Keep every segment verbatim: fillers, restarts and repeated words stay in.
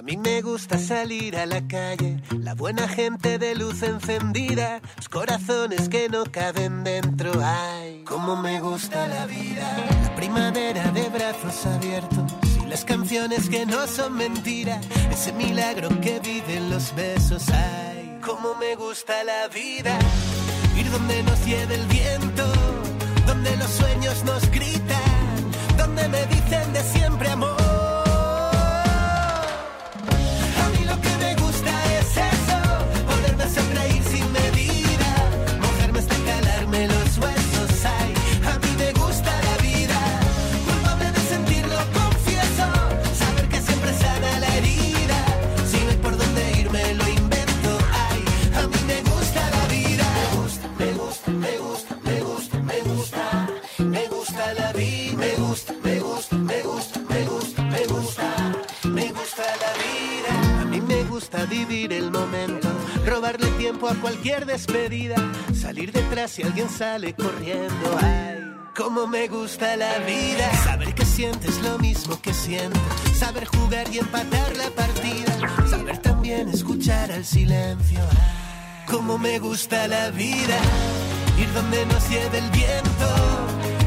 mí me gusta salir a la calle, la buena gente de luz encendida, los corazones que no caben dentro. Ay, cómo me gusta la vida, la primavera de brazos abiertos y las canciones que no son mentira, ese milagro que viven los besos. Ay, cómo me gusta la vida, ir donde nos lleve el viento, donde los sueños nos gritan, donde me dicen de siempre amor. Sonreír sin medida, mojarme hasta calarme los huesos. Ay, a mí me gusta la vida, culpable de sentirlo, confieso, saber que siempre sana la herida, si no hay por dónde ir me lo invento. Ay, a mí me gusta la vida, me gusta, me gusta, me gusta, me gusta, me gusta, me gusta la vida, me gusta, me gusta, me gusta, me gusta, me gusta, me gusta la vida. A mí me gusta vivir el momento, robarle tiempo a cualquier despedida, salir detrás si alguien sale corriendo. Ay, cómo me gusta la vida, saber que sientes lo mismo que siento, saber jugar y empatar la partida, saber también escuchar al silencio. Ay, cómo me gusta la vida, ir donde nos lleve el viento,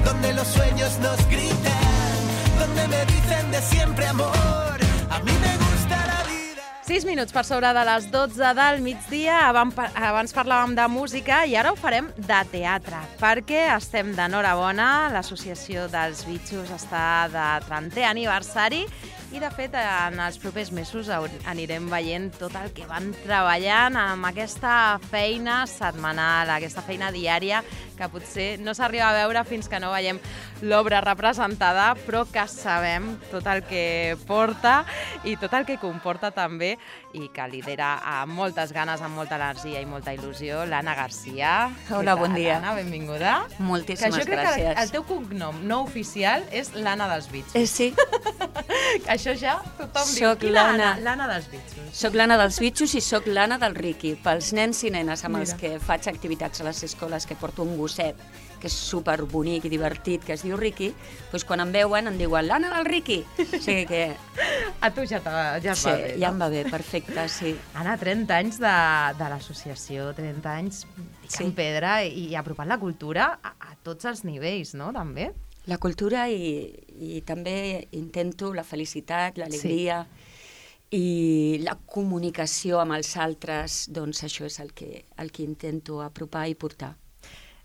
donde los sueños nos gritan, donde me dicen de siempre amor. A mí me gusta la vida. sis minuts per sobre de les dotze del migdia, abans parlàvem de música i ara ho farem de teatre, perquè estem d'enhorabona, l'Associació dels Bitxos està de trentè aniversari i, de fet, en els propers mesos anirem veient tot el que van treballant amb aquesta feina setmanal, aquesta feina diària, que potser no s'arriba a veure fins que no veiem l'obra representada, però que sabem tot el que porta i tot el que comporta també, i que lidera amb moltes ganes, amb molta energia i molta il·lusió, l'Anna Garcia. Hola, bon dia. Anna, benvinguda. Moltíssimes gràcies. Que jo crec gràcies. que el teu cognom no oficial és l'Anna dels Bitxos. Eh, sí. Això ja tothom soc diu. l'Anna. L'Anna dels Bitxos. Soc l'Anna dels Bitxos i soc l'Anna del Riqui. Pels nens i nenes amb els Mira. que faig activitats a les escoles, que porto un gosset que és superbonic i divertit, que es diu Riqui, doncs quan em veuen em diuen l'Anna del Riqui. O sigui que... A tu ja, ja et sí, va bé, ja no? em va bé, perfecte, sí. Anna, trenta anys de, de l'associació, trenta anys picant Sí. pedra i, i apropant la cultura a, a tots els nivells, no?, també. La cultura i, i també intento la felicitat, l'alegria i la comunicació amb els altres, doncs això és el que, el que intento apropar i portar.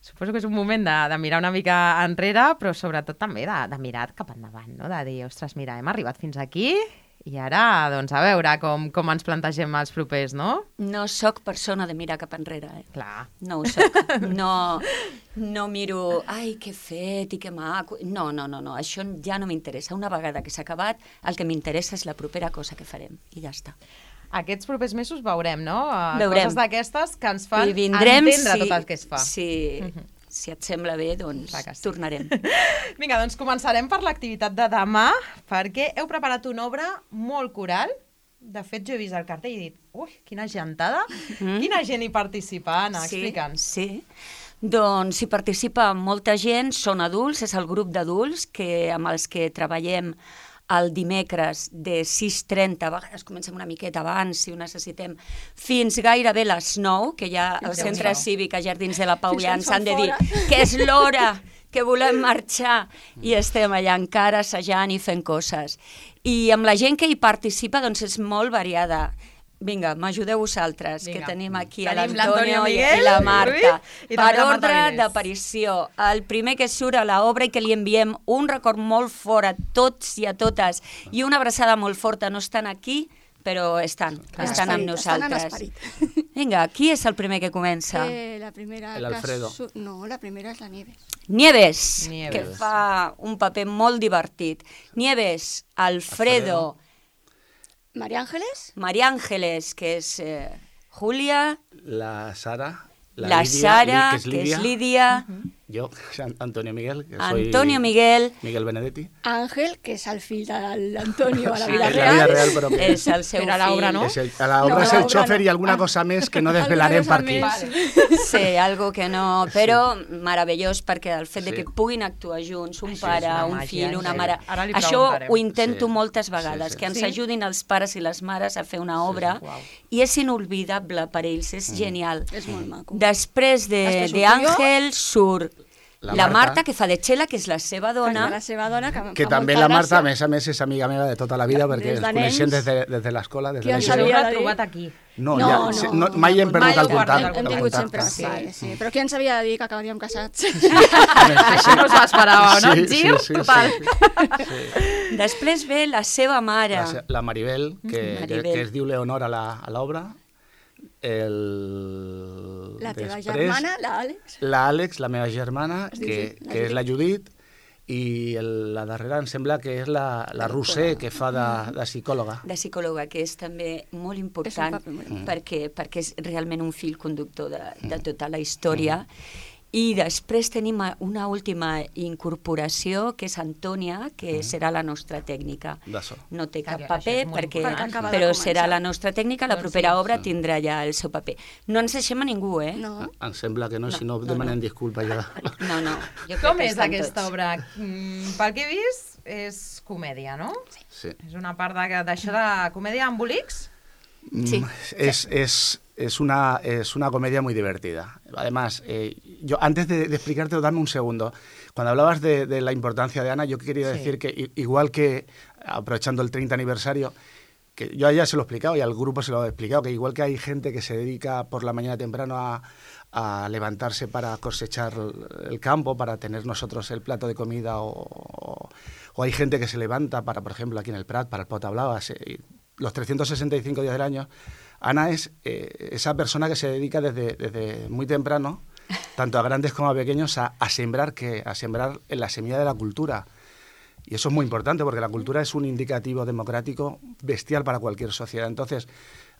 Suposo que és un moment de, de mirar una mica enrere, però sobretot també de, de mirar cap endavant, no? De dir, ostres, mira, hem arribat fins aquí i ara, doncs, a veure com, com ens plantegem els propers, no? No sóc persona de mirar cap enrere, eh? Clar. No ho sóc. No, no miro, ai, què he fet i que maco... No, no, no, no, això ja no m'interessa. Una vegada que s'ha acabat, el que m'interessa és la propera cosa que farem, i ja està. Aquests propers mesos veurem, no? Veurem. Coses d'aquestes que ens fan I vindrem entendre si, tot el que es fa. Si, si et sembla bé, doncs Clar que sí. tornarem. Vinga, doncs començarem per l'activitat de demà, perquè heu preparat una obra molt coral. De fet, jo he vist el cartell i he dit, ui, quina gentada, mm. quina gent hi participa, Anna, Sí, explica'ns. sí. Doncs hi participa molta gent, són adults, és el grup d'adults que, amb els que treballem el dimecres de sis trenta, a vegades comencem una miqueta abans si ho necessitem, fins gairebé les nou, que ja al centre cívic a Jardins de la Pau ja ens han de dir que és l'hora, que volem marxar, i estem allà encara assajant i fent coses. I amb la gent que hi participa doncs és molt variada. Vinga, m'ajudeu vosaltres, Vinga. que tenim aquí Tenim a l'Antonio i, Miguel, i la Marta. Ruiz, i Per també la Marta ordre Avilés. d'aparició, el primer que surt a l'obra i que li enviem un record molt fort a tots i a totes i una abraçada molt forta. No estan aquí, però estan, En estan amb esperit, estan en nosaltres. esperit. Vinga, qui és el primer que comença? Eh, la primera El que Alfredo. su- No, la primera és la Nieves. Nieves, Nieves. que fa un paper molt divertit. Nieves, Alfredo, María Ángeles, María Ángeles, que és eh, Júlia, La Sara. la, Lídia, Sara, Li- que és Lídia, Mhm. Jo, Antonio Miguel, que soy Antonio Miguel Miguel Benedetti. Àngel, que és el fill de l'Antonio a la Sí, vida en la vida real. real, però que és el seu Però a l'obra fill. no? és el, a la obra No, és a el l'obra xòfer no. i alguna Ah. cosa més que no Alguna desvelarem cosa per aquí. més. Sí, algo que no... Però meravellós perquè el fet de Sí. que puguin actuar junts, un Això és pare, una un màgia, fill, una sí. mare... Ara li Això preguntarem. ho intento Sí. moltes Sí, vegades, sí. que ens Sí? ajudin els pares i les mares a fer una obra Uau. i és inolvidable per ells, és Mm. genial. És molt maco. Després de, Després de surto jo. Àngel surt La la, Marta. Marta, que fa de Txela, que és la seva Dona. dona. La seva dona, que, Que fa també molta la Marta, a gràcia. més a més, és amiga meva de tota la vida, perquè Des ens de coneixem nens. des de, des de l'escola, des de Qui en l'E S O. Us sabia heu de dir? trobat aquí. No, No, ja, no, sí, no. mai hem perdut Mai el heu perdut contacte. el Hem el tingut contacte. sempre, sí, sí. Però qui ens havia de dir que acabaríem casats? Això no s'ho esperava, no? Sí, sí, Gir sí, sí. total. Després ve la seva mare. La, se- la Maribel, que, que, Maribel. que es diu Leonor a la- a l'obra. El... La teva després, germana, l'Àlex. La Àlex, la meva germana, Es diu que, Judit, la que és la Judit. Judit, i el, la darrera em sembla que és la, la Roser, que fa de, de psicòloga. de psicòloga, que és també molt important paper molt important. perquè, perquè és realment un fil conductor de, de tota la història. I després tenim una última incorporació, que és Antònia, que serà la nostra tècnica. De so. No té cap Això és paper, molt perquè, important. Perquè acaba de però començar. serà la nostra tècnica, la Doncs propera sí. obra tindrà ja el seu paper. No ens deixem a ningú, eh? No. Em sembla que no, No, si no, no, demanem no. disculpa ja. No, no. Jo crec Com que és estan aquesta tots. obra? Mm, pel que he vist, és comèdia, no? Sí. És una part de- d'això de comèdia amb bolics? Sí. Mm, Es, es, es, una, es una comedia muy divertida. Además, eh, yo antes de, de explicártelo, dame un segundo. Cuando hablabas de, de la importancia de Ana, yo quería Sí. decir que i- igual que, aprovechando el treinta aniversario, que yo a ella se lo he explicado y al grupo se lo he explicado, que igual que hay gente que se dedica por la mañana temprano a, a levantarse para cosechar el campo, para tener nosotros el plato de comida, o, o, o hay gente que se levanta para, por ejemplo, aquí en el Prat, para el Pot Hablabas, eh, los trescientos sesenta y cinco días del año. Ana es eh, esa persona que se dedica desde, desde muy temprano, tanto a grandes como a pequeños, a, a sembrar que a sembrar en la semilla de la cultura. Y eso es muy importante porque la cultura es un indicativo democrático bestial para cualquier sociedad. Entonces,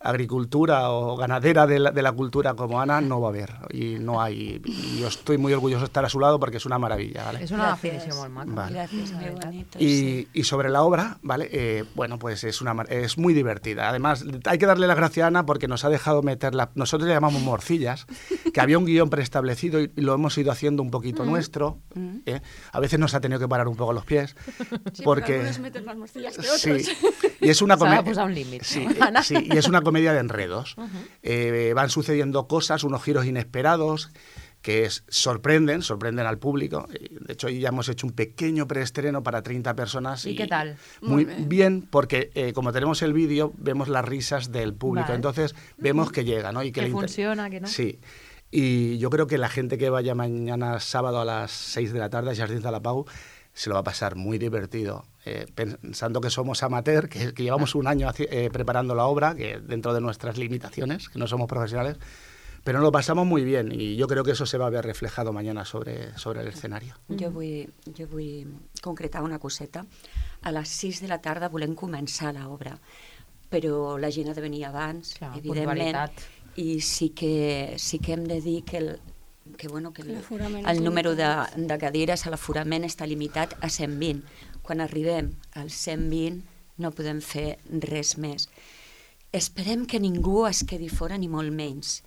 agricultura o ganadera de la, de la cultura como Ana no va a haber y no hay. Y yo estoy muy orgulloso de estar a su lado porque es una maravilla, ¿vale? És una Gràcies. definició molt maca. Vale. Gracias, La muy veritat. bonito. sí. Y, y sobre la obra, ¿vale? Eh, bueno, pues es, una, mar- es muy divertida. Además, hay que darle las gracias a Ana porque nos ha dejado meterla. Nosotros le llamamos morcillas, que había un guión preestablecido y, y lo hemos ido haciendo un poquito nuestro. Mm. ¿eh? A veces nos ha tenido que parar un poco los pies. Sí, porque però algunos meten más morcillas que otros. Sí, y es una S'ha de comedia. posar un límit. Sí, no? eh, sí, y es una comedia de enredos. Eh, van sucediendo cosas, unos giros inesperados que es- sorprenden, sorprenden al público. Eh, De hecho, hoy ya hemos hecho un pequeño preestreno para treinta personas. ¿Y qué tal? Muy Muy bien. bien. porque eh, como tenemos el vídeo, vemos las risas del público. Vale. Entonces, vemos que llega, ¿no? Y Que le inter- funciona, que no. Sí. Y yo creo que la gente que vaya mañana sábado a las seis de la tarde a Jardins de la Pau se lo va a pasar muy divertido, eh, pensando que somos amateur, que, que llevamos un año haci- eh, preparando la obra, que dentro de nuestras limitaciones, que no somos profesionales, pero nos lo pasamos muy bien y yo creo que eso se va a ver reflejado mañana sobre, sobre el escenario. Jo vull, jo vull concretar una coseta. A les sis de la tarda volem començar l'obra, però la gent ha de venir abans, Clar, evidentment, puntualitat. i sí que, sí que hem de dir que el, que, bueno, que el, L'aforament el és número de, limitat. de cadires a l'aforament està limitat a cent vint. Quan arribem als cent vint no podem fer res més. Esperem que ningú es quedi fora, ni molt menys,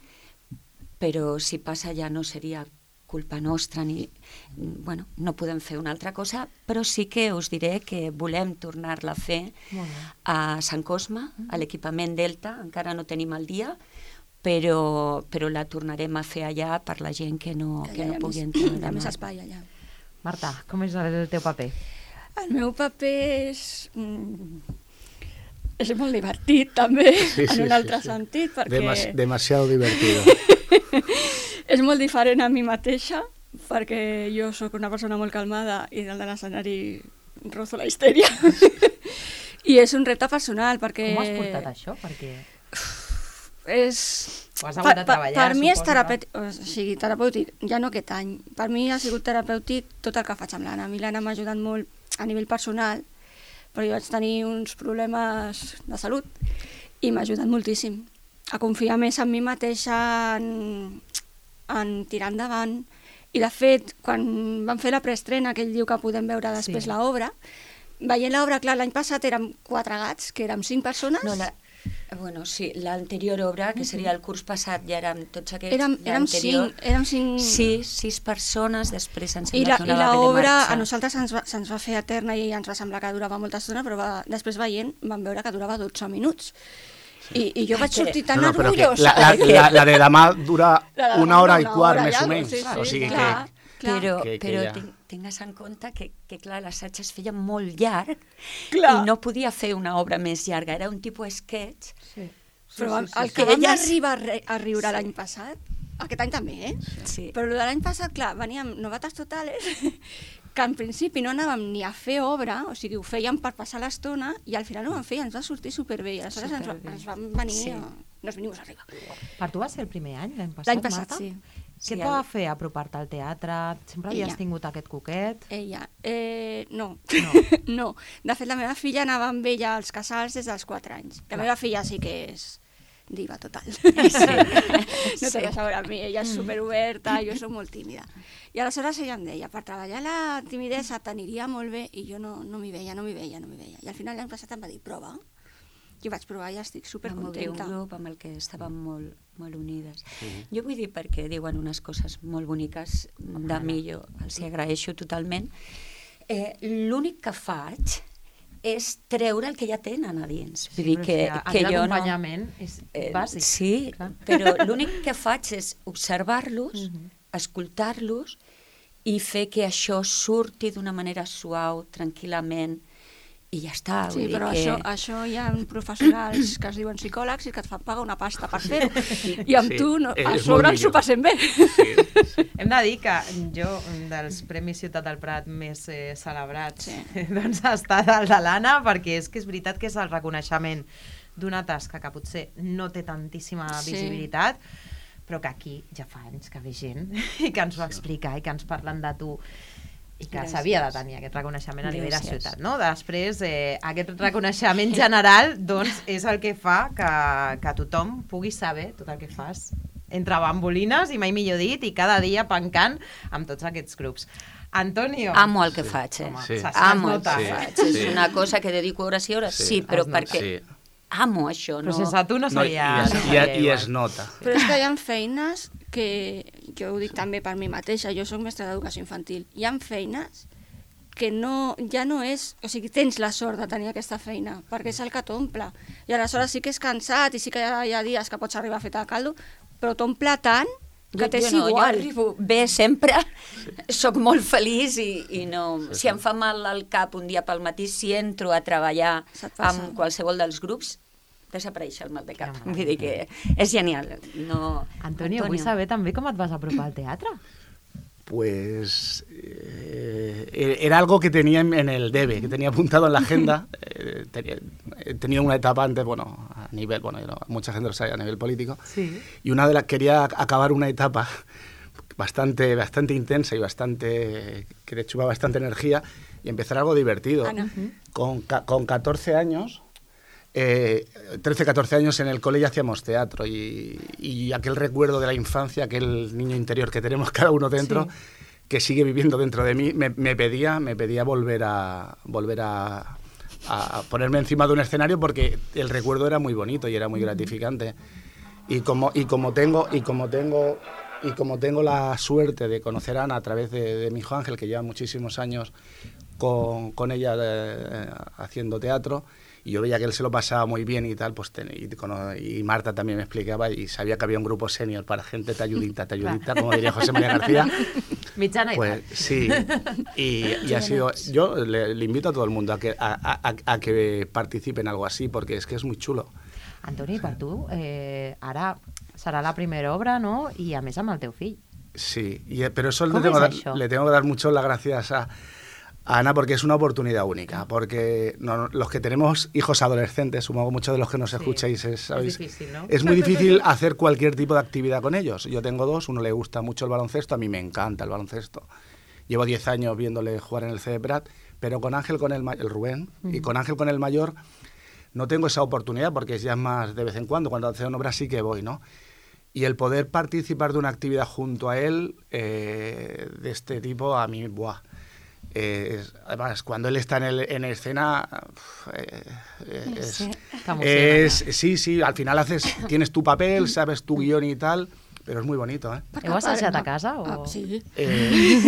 però si passa ja no seria culpa nostra, ni, bueno, no podem fer una altra cosa, però sí que us diré que volem tornar-la a fer Molt bé. a Sant Cosme, a l'equipament Delta, encara no tenim el dia, però, però la tornarem a fer allà per la gent que no, que no pugui entrar Hi ha més demà. espai allà. Marta, com és el teu paper? El meu paper és... Mm, és molt divertit, també, Sí, sí, en un sí, altre sí. sentit, perquè Demas- demasiado divertido. és molt diferent a mi mateixa, perquè jo sóc una persona molt calmada i dalt de l'escenari rozo la histèria. I és un repte personal, perquè... Com has portat això? Perquè És... ho has hagut de treballar, per mi és suposo, terapèutic, o sigui, terapèutic, ja no aquest any. Per mi ha sigut terapèutic tot el que faig amb l'Anna. A mi l'Anna m'ha ajudat molt a nivell personal, però jo vaig tenir uns problemes de salut i m'ha ajudat moltíssim a confiar més en mi mateixa, en, en tirar endavant I de fet, quan vam fer la preestrena, que ell diu que podem veure després Sí. l'obra, veient l'obra, clar, l'any passat érem quatre gats, que érem cinc persones. No, la, bueno, sí, l'anterior obra, que seria el curs passat, ja érem tots aquests... érem, érem, l'anterior. cinc, érem cinc... Sí, sis persones, després ens I sembla la- que i una va haver de l'obra marxar. a nosaltres se'ns va, se'ns va fer eterna i ens va semblar que durava molta estona, però va, després veient vam veure que durava dotze minuts. I, I jo vaig Perquè- sortir tan No, no, però que orgullosa. la, la, la, la de demà dura La de demà una hora dura i una quart, hora més ja, o menys. sí, sí, o sigui clar. que... Clar. Però, Que- que però ja- ten- tingues en compte que, que clar, l'assaig es feia molt llarg Clar. i no podia fer una obra més llarga, era un tipus sketch. Sí. Però vam, el sí. que vam Elles- arribar a, re, a riure l'any passat, aquest any també, eh? Sí. Però el de l'any passat, clar, veníem novates totales, que en principi no anàvem ni a fer obra, o sigui, ho fèiem per passar l'estona, i al final ho vam fer i ens va sortir superbé, i aleshores ens, va, Superbé. ens vam venir, Sí. a, nos venimos arriba. Per tu va ser el primer any, l'any passat, L'any passat, Marta? sí. Què Sí, et va el- fer apropar-te al teatre? Sempre havies Ella. tingut aquest coquet? Ella, eh, no. No. no. De fet, la meva filla anava amb ella als casals des dels quatre anys. La Clar. meva filla sí que és diva total. Sí. No té res a veure amb mi, ella és superoberta, jo soc molt tímida. I aleshores ella em deia, per treballar la timidesa t'aniria molt bé, i jo no, no m'hi veia, no m'hi veia, no m'hi veia. I al final l'any passat em va dir, prova. I vaig provar i estic Vam obrir un supercontenta. grup amb el que estàvem molt, molt unides. Jo vull dir perquè diuen unes coses molt boniques de mi, jo els hi agraeixo totalment. Eh, L'únic que faig és treure el que ja tenen a dins. Vull dir Però que, és que que aquest jo no... acompanyament és Eh, bàsic. Sí, clar. però l'únic que faig és observar-los, Mhm. escoltar-los i fer que això surti d'una manera suau, tranquil·lament, i ja està. Sí, vull dir però que... això, això hi ha professionals que es diuen psicòlegs i que et fan pagar una pasta per fer-ho. I amb Sí, tu no, és a molt sobre ens ho millor. passem bé. Sí, sí. Hem de dir que jo, un dels Premis Ciutat del Prat més eh, celebrats, Sí. doncs ha estat el de l'Anna, perquè és que és veritat que és el reconeixement d'una tasca que potser no té tantíssima Sí. visibilitat, però que aquí ja fa anys que ve gent i que ens ho explica i que ens parlen de tu i que Gràcies. s'havia de tenir aquest reconeixement a nivell de Gràcies. ciutat, no? Després, eh, aquest reconeixement general, doncs, és el que fa que, que tothom pugui saber tot el que fas entre bambolines, i mai millor dit, i cada dia pencant amb tots aquests grups. Antonio. Amo el que faig, eh? Home, Sí. se- es Amo el nota. que Sí. faig. Sí. És una cosa que dedico hores i hores, Sí. sí, però Es nota. perquè Sí. amo això, Però no? sense tu no No, i, seria... es, no i, seria i igual. es nota. Però és que hi ha feines que, jo ho dic també per mi mateixa, jo sóc mestra d'educació infantil, hi ha feines que no, ja no és... O sigui, tens la sort de tenir aquesta feina, perquè és el que t'omple. I aleshores sí que és cansat i sí que hi ha, hi ha dies que pots arribar a fer de caldo, però t'omple tant que Jo- t'és jo no, igual. Jo arribo bé sempre, sóc molt feliç i, i no... Sí, si sí. em fa mal al cap un dia pel matí, si entro a treballar Se't passa. amb qualsevol dels grups, desapareix el mal de cap. Que Vull dir que és genial. No... Antonio, vull saber també com et vas apropar al teatre. Pues eh, era algo que tenía en, en el debe, que tenía apuntado en la agenda. Eh, tenía, he tenido una etapa antes, bueno, a nivel, bueno, yo no- mucha gente lo sabe, a nivel político. Sí. Y una de las, quería acabar una etapa bastante, bastante intensa y bastante, que le chupa bastante energía y empezar algo divertido. Ana. Con, ca- con catorce años, eh, trece, catorce años en el cole ya hacíamos teatro y, y aquel recuerdo de la infancia, aquel niño interior que tenemos cada uno dentro, Sí. que sigue viviendo dentro de mí, me, me pedía, me pedía volver a volver a, a ponerme encima de un escenario porque el recuerdo era muy bonito y era muy gratificante. Y como, y como tengo, y como tengo, y como tengo la suerte de conocer a Ana a través de, de mi hijo Ángel, que lleva muchísimos años con, con ella eh, haciendo teatro, y yo veía que él se lo pasaba muy bien y tal, pues ten- y, cono- y Marta también me explicaba y sabía que había un grupo senior para gente talludita, talludita, como diría José María García. Mitjana i Pues tal. sí, y, y ha sido, yo le, le invito a todo el mundo a que, a, a- a que participe en algo así, porque es que es muy chulo. Antoni, per tu, eh, ara serà la primera obra, no? I a més amb el teu fill. Sí, y, eh, pero eso le ¿Cómo tengo, es que eso? dar, le tengo que dar mucho las gracias a, a Ana porque es una oportunidad única, porque no- los que tenemos hijos adolescentes, supongo muchos de los que nos Sí, escucháis, es, es sabéis, difícil, ¿no? es muy difícil hacer cualquier tipo de actividad con ellos. Yo tengo dos, uno le gusta mucho el baloncesto, a mí me encanta el baloncesto. Llevo diez años viéndole jugar en el C D Prat, pero con Ángel, con el, ma- el Rubén, y con Ángel, con el mayor, no tengo esa oportunidad porque ya es más de vez en cuando, cuando hacen obras sí que voy, ¿no? Y el poder participar de una actividad junto a él, eh, de este tipo, a mí, buah. Eh, es, además, cuando él está en, el, en escena, eh, eh, es, Sí. es, sí, sí, al final haces, tienes tu papel, sabes tu guión y tal, pero es muy bonito, ¿eh? Heu assajat a casa? O... Ah, sí. Eh,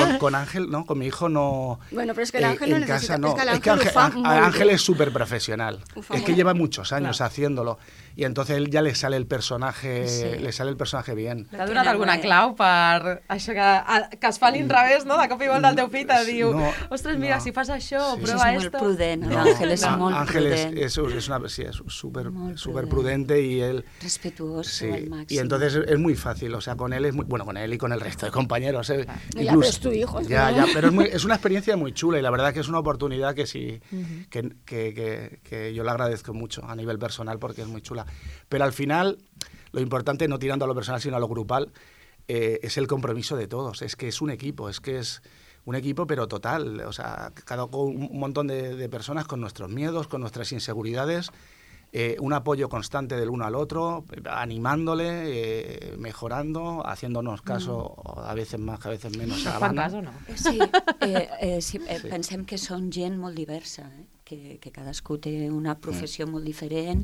con, con Ángel, no, con mi hijo no. Bueno, pero es que el eh, Ángel no en necesita. casa no. Es que el Es que Ángel, Ángel, ho fa Ángel- molt Ángel bé. es súper profesional. Ho fa Es que molt lleva muchos años Claro. haciéndolo y entonces él ya le sale el personaje, Sí. le sale el personaje bien. T'ha donat alguna clau per això que, a- que es fa a l'inrevés, no? De cop i volta el teu fill te diu No, ostres, mira, no. si fas això, Sí. prova És molt esto. prudent, No, l'Àngel és no, molt Ángel es, prudent, es, es una, sí, es súper Molt súper prudent. prudente y él. respetuós Sí, al màxim. y entonces es muy fácil, o sea, con él es muy, bueno, con él y con el resto de compañeros. eh, Ya, pero es tu hijo, es ya, verdad. ya, pero es, muy- es una experiencia muy chula y la verdad que es una oportunidad que sí, que, que- que- que yo le agradezco mucho a nivel personal porque es muy chula. Pero al final, lo importante, no tirando a lo personal, sino a lo grupal, eh, es el compromiso de todos. Es que es un equipo, es que es un equipo, pero total. O sea, cada con un montón de, de personas con nuestros miedos, con nuestras inseguridades. Eh, un apoyo constante del uno al otro, animándole, eh, mejorando, haciéndonos caso a veces más, a veces menos. a la Fan banda. cas o no? Sí, eh, eh, sí, eh, pensem que són gent molt diversa, eh? que, que cadascú té una professió molt diferent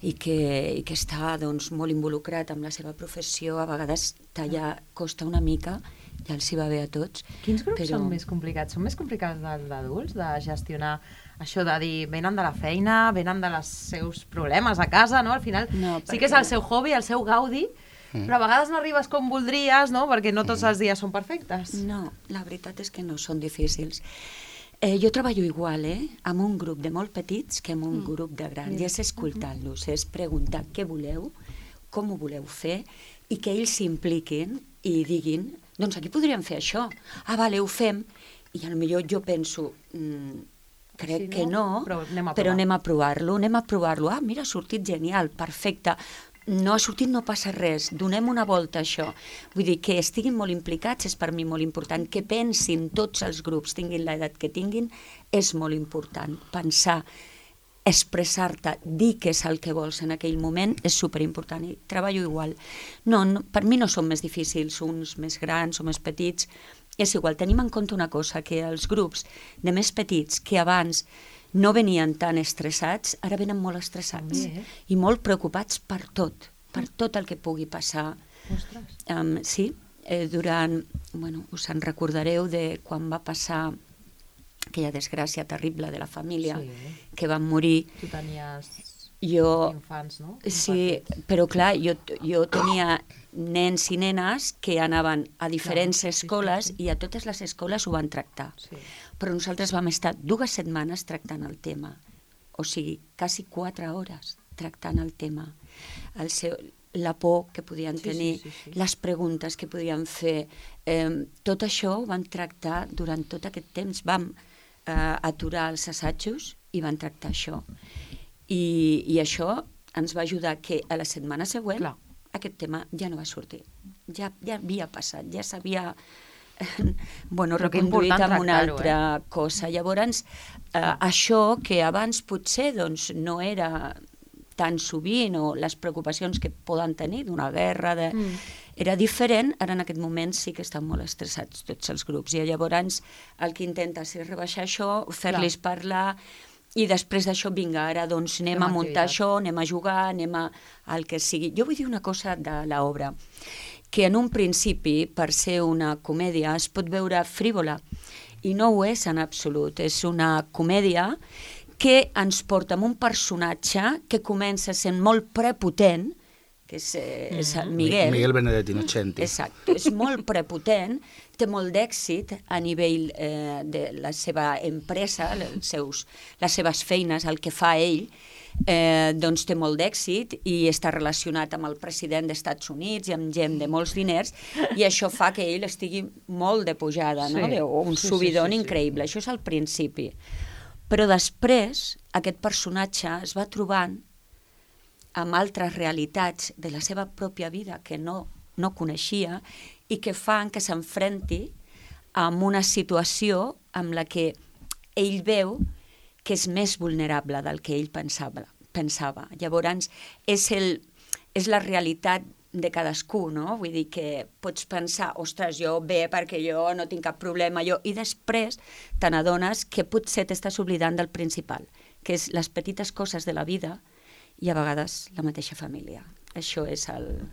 i que, i que està doncs, molt involucrat amb la seva professió. A vegades tallar costa una mica, ja els hi va bé a tots. Quins grups però... són més complicats? Són més complicats dels d'adults, de gestionar això de dir, venen de la feina, venen dels seus problemes a casa, no? Al final No, sí que és perquè- el seu hobby, el seu gaudi, però a vegades no arribes com voldries, no? Perquè no tots els dies són perfectes. No, la veritat és que no són difícils. Eh, jo treballo igual, eh? Amb un grup de molt petits que amb un mm. grup de grans. I és escoltar-los, és preguntar què voleu, com ho voleu fer, i que ells s'impliquin i diguin, doncs aquí podríem fer això. Ah, vale, ho fem. I potser jo penso, mm, crec Sí, no? que no, Però anem a però provar. anem a provar-lo, anem a provar-lo. Ah, mira, ha sortit genial, perfecte. No ha sortit, no passa res, donem una volta a això. Vull dir, que estiguin molt implicats és per mi molt important, que pensin tots els grups, tinguin l'edat que tinguin, és molt important. Pensar, expressar-te, dir què és el que vols en aquell moment és superimportant i treballo igual. No, no, per mi no són més difícils, uns més grans o més petits, és igual. Tenim en compte una cosa, que els grups de més petits que abans no venien tan estressats, ara venen molt estressats També, eh? i molt preocupats per tot, per tot el que pugui passar. Ostres. Um, sí, eh, durant, bueno, us en recordareu de quan va passar aquella desgràcia terrible de la família, Sí. que van morir. Tu tenies Jo, infants, no? sí, però clar, jo, jo tenia nens i nenes que anaven a diferents Clar, sí, sí, escoles sí. i a totes les escoles ho van tractar. Sí. Però nosaltres vam estar dues setmanes tractant el tema, o sigui, quasi quatre hores tractant el tema. El seu, la por que podien Sí, sí, tenir, sí, sí. les preguntes que podien fer, eh, tot això ho vam tractar durant tot aquest temps. Vam eh, aturar els assajos i van tractar això. I, i això ens va ajudar que a la setmana següent Clar. aquest tema ja no va sortir. Ja, ja havia passat, ja s'havia bueno, Però que reconduït important amb una tractar-ho, altra cosa. Llavors, eh, això que abans potser doncs, no era tan sovint, o les preocupacions que poden tenir d'una guerra, de... Mm. era diferent, ara en aquest moment sí que estan molt estressats tots els grups, i llavors el que intentes és rebaixar això, fer-los parlar, i després d'això, vinga, ara doncs anem Fem a muntar activitat. això, anem a jugar, anem a al que sigui. Jo vull dir una cosa de l'obra, que en un principi, per ser una comèdia, es pot veure frívola, i no ho és en absolut. És una comèdia que ens porta amb un personatge que comença sent molt prepotent, que és, eh, és el Miguel. Miguel Benedetti Innocenti. Exacte, és molt prepotent, té molt d'èxit a nivell eh, de la seva empresa, els seus, les seves feines, el que fa ell, eh, doncs té molt d'èxit i està relacionat amb el president dels Estats Units i amb gent de molts diners, i això fa que ell estigui molt de pujada, no? Sí. O un Sí, sí, subidon sí, sí. increïble. Això és al principi. Però després aquest personatge es va trobant amb altres realitats de la seva pròpia vida que no, no coneixia i que fan que s'enfrenti amb una situació amb la que ell veu que és més vulnerable del que ell pensava. pensava. Llavors, és, el, és la realitat de cadascú, no? Vull dir que pots pensar, ostres, jo bé perquè jo no tinc cap problema, jo... I després te n'adones que potser t'estàs oblidant del principal, que és les petites coses de la vida i a vegades la mateixa família. Això és el...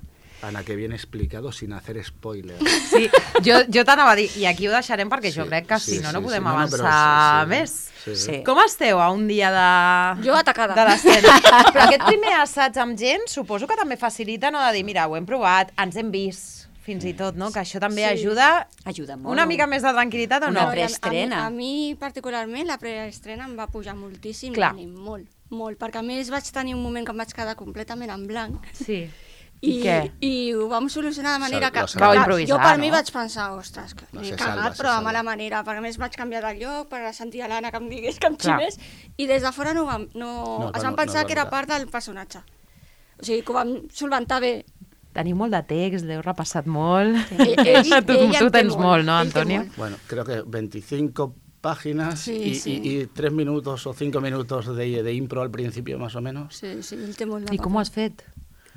Ana, que bien explicado sin hacer spoiler. Sí, jo, jo t'anava a dir, i aquí ho deixarem perquè sí, jo crec que sí, si no, sí, no podem sí, no, no, avançar però sí, sí, més. Sí, sí. Sí. Com esteu a un dia de... Jo atacada. De l'escena. Però aquest primer assaig amb gent suposo que també facilita, no?, de dir, mira, ho hem provat, ens hem vist, fins i tot, no?, que això també Sí. ajuda, Ajuda molt. una mica més de tranquil·litat o Una no? pre- I a- preestrena. A, mi- a mi, particularment, la preestrena em va pujar moltíssim Clar. l'ànim, molt, molt, perquè a més vaig tenir un moment que em vaig quedar completament en blanc. Sí. I, què? I ho vam solucionar de manera Sal- que... lo salva. Vau clar, improvisar, jo per no? mi vaig pensar, ostres, que No, l'he se cagat, salva, se però de salva. mala manera, perquè a més vaig canviar de lloc per sentir a l'Anna que em digués que em Clar. xivés, i des de fora no, vam, no, No, es no, van pensar no, que era no. part del personatge. O sigui, que ho vam solventar bé. Teniu molt de text, l'heu repassat molt. Ell- ell- tu, ell en tu té tens molt, molt, no, ell té Antonio? molt. Bueno, creo que veinticinco páginas Sí, y, sí. y- y tres minutos o cinco minutos de, de impro al principio, más o menos. Sí, sí, ell té molt de I com ho has fet?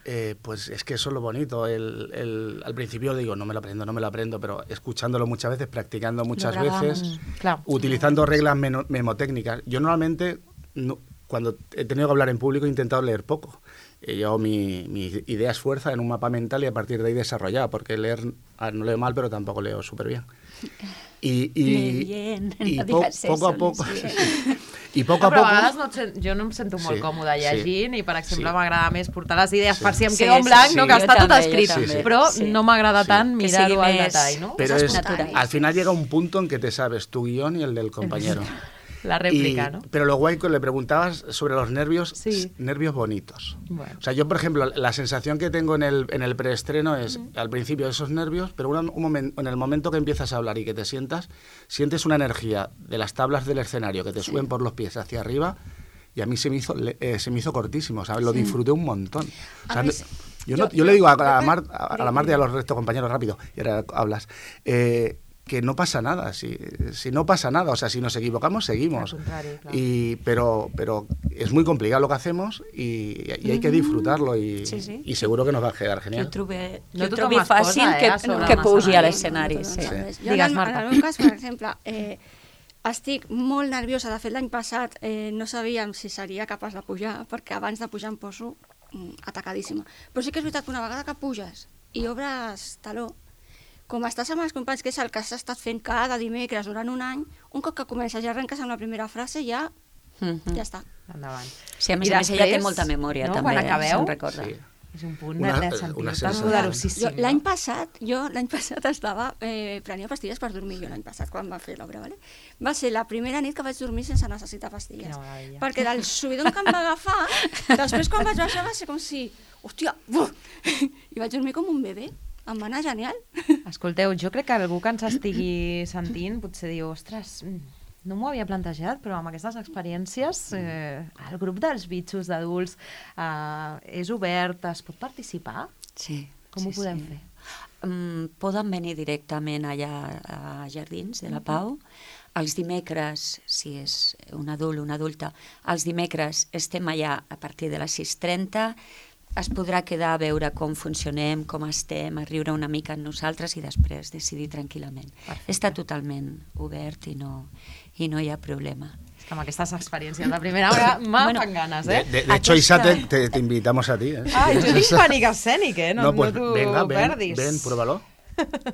Eh, pues es que eso es lo bonito. El, el- al principio digo, no me lo aprendo, no me lo aprendo, pero escuchándolo muchas veces, practicando muchas grabamos. veces, Claro. utilizando reglas meno- memotécnicas. Yo normalmente, no- cuando he tenido que hablar en público, he intentado leer poco. Eh, yo mi, mi idea es fuerza en un mapa mental y a partir de ahí desarrollar, porque leer, ah, no leo mal, pero tampoco leo súper bien. Y, y, Lee bien, y no po- digas eso, poco a lees poco, bien. y poco a Però poco... a vegades no et sent, jo no em sento molt Sí, còmoda llegint sí, i, per exemple, sí. m'agrada més portar les idees Sí. per si em Sí, quedo en sí, blanc, sí. no, que Jo està tot també, jo escrit, també. però Sí. no m'agrada Sí. tant Que mirar-ho sigui al més- detall, no? Pero Es es, espontáneo. al final llega un punto en que te sabes tu guión y el del compañero. La rèplica, Y- no? Pero lo guay que le preguntabas sobre los nervios, Sí. s- nervios bonitos. Bueno. O sea, yo, por ejemplo, la sensación que tengo en el, en el preestreno es, al principio, esos nervios, pero una- un momen- en el momento que empiezas a hablar y que te sientas, sientes una energía de las tablas del escenario que te suben por los pies hacia arriba, y a mí se me hizo, le- eh, se me hizo cortísimo, ¿sabes? Lo disfruté un montón. O A sea, mí no- sí. yo, Yo- no- yo yo- le digo a, yo a, pe- Mar- a, a la dime, Marta y a dime. los restos compañeros, rápido, y ahora hablas, eh, que no pasa nada, si, si no pasa nada, o sea, si nos equivocamos, seguimos. Al contrario, claro. Y, pero, pero es muy complicado lo que hacemos y, y hay que disfrutarlo y, Sí, sí. y seguro que nos va a quedar Jo genial. ho trobe, No jo ho tothom trobi es posa, fàcil eh, que, a sobre que de pugi a l'escenari. l'escenari. No, Sí. no, no, no, Sí. Jo, Digues, en, Marta. en el meu cas, per exemple, eh, estic molt nerviosa. De fet, l'any passat eh, no sabíem si seria capaç de pujar, perquè abans de pujar em poso mm, atacadíssima. Però sí que és veritat que una vegada que puges i obres taló, com estàs amb els companys, que és el que has estat fent cada dimecres durant un any, un cop que comences i arrenques amb la primera frase, ja, Mhm. ja està. Endavant. Sí, a més I a més ella té després, molta memòria, no, també, quan acabeu, se'n recorda. Sí. És un punt Una- de, de una sentir-te sensació. poderosíssim. Jo, no? l'any passat, jo l'any passat estava, eh, prenia pastilles per dormir, jo l'any passat, quan va fer l'obra, vale? Va ser la primera nit que vaig dormir sense necessitar pastilles. Quina meravella. Perquè del subidon que em va agafar, després quan vaig baixar va ser com si, hòstia, buf! I vaig dormir com un bebè. Em va anar genial. Escolteu, jo crec que algú que ens estigui sentint potser diu, ostres, mm, no m'ho havia plantejat, però amb aquestes experiències eh, el grup dels bitxos d'adults eh, és obert, es pot participar? Sí. Com sí, ho podem sí. fer? Um, poden venir directament allà a Jardins de la Pau. Els dimecres, si és un adult o una adulta, els dimecres estem allà a partir de les sis trenta. Es podrà quedar a veure com funcionem, com estem, a riure una mica amb nosaltres i després decidir tranquil·lament. Perfecte. Està totalment obert i no, i no hi ha problema. És que amb aquestes experiències de primera hora m'ha Bueno, fan ganes, De, eh? de- de hecho, Aquesta- Isa, te, te- te invitamos a ti. ¿eh? Si Ai, jo quieres. tinc pànic escènic, eh? No, pues no t'ho venga, ven, perdis. ven, pruébalo. Te, te-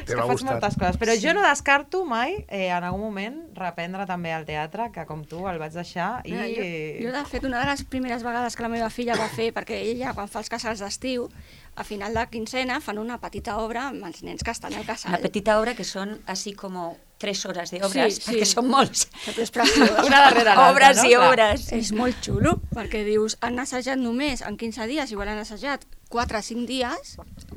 te És va que a faig gustar. moltes coses, però jo no descarto mai eh, en algun moment reprendre també el teatre, que com tu el vaig deixar i... Mira, jo, jo, de fet, una de les primeres vegades que la meva filla va fer, perquè ella, quan fa els casals d'estiu, a final de quinzena fan una petita obra amb els nens que estan al casal. Una petita obra que són així com tres hores de obres, Sí, sí. perquè són molts. Però és preciós. Una darrere l'altra, Obres no? i Clar. obres. És molt xulo, perquè dius, han assajat només en quinze dies, igual han assajat quatre o cinc dies,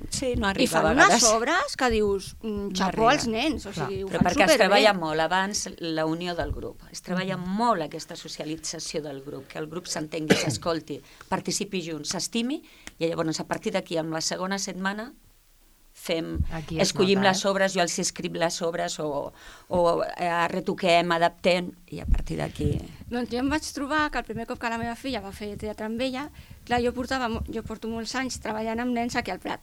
Sí, no i arriba fan a unes vegades. obres que dius, mm, xapó arriba. als nens, o sigui, ho Però fan perquè es superbé. treballa molt abans la unió del grup. Es treballa molt aquesta socialització del grup, que el grup s'entengui, s'escolti, participi junts, s'estimi, i llavors a partir d'aquí, amb la segona setmana, fem, Aquí es escollim nota, les eh? obres, jo els escric les obres o, o eh, retoquem, adaptem, i a partir d'aquí... Doncs jo em vaig trobar que el primer cop que la meva filla va fer teatre amb ella, clar, jo, portava, jo porto molts anys treballant amb nens aquí al Prat,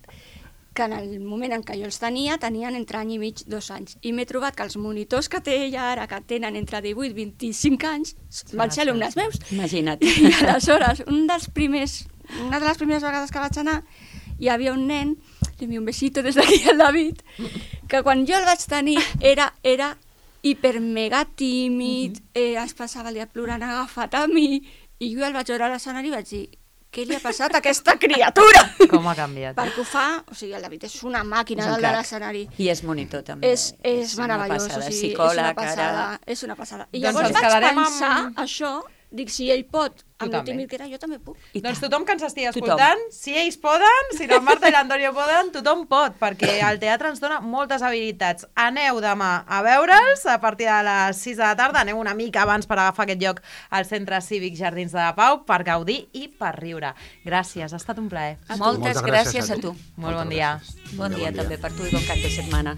que en el moment en què jo els tenia, tenien entre any i mig, dos anys. I m'he trobat que els monitors que té ella ara, que tenen entre divuit i vint-i-cinc anys, van ser alumnes meus. Imagina't. I aleshores, un dels primers, una de les primeres vegades que vaig anar, hi havia un nen, li envio un besito des d'aquí al David, que quan jo el vaig tenir era, era hiper mega tímid, eh, es passava el dia plorant agafat a mi, i jo el vaig veure a l'escenari i vaig dir, què li ha passat a aquesta criatura? Com ha canviat. Perquè ho fa, o sigui, el David és una màquina És un del de crac. l'escenari. I és monitor, també. És, és, una meravellós, passada. o sigui, Psicòleg, és una passada, ara... és una passada. I Doncs llavors ens vaig quedarem pensar amb- això, dic, si ell pot, Tu amb el també. tímid que era, jo també puc. I Doncs tant. tothom que ens estigui Tothom. escoltant, si ells poden, si la Marta i l'Antonio poden, tothom pot, perquè el teatre ens dona moltes habilitats. Aneu demà a veure'ls a partir de les sis de la tarda, aneu una mica abans per agafar aquest lloc al Centre Cívic Jardins de la Pau per gaudir i per riure. Gràcies, ha estat un plaer. Moltes Moltes gràcies gràcies a a tu. tu. Molt bon Moltes dia. gràcies. Bon dia Bon dia. també per tu i bon cap de setmana.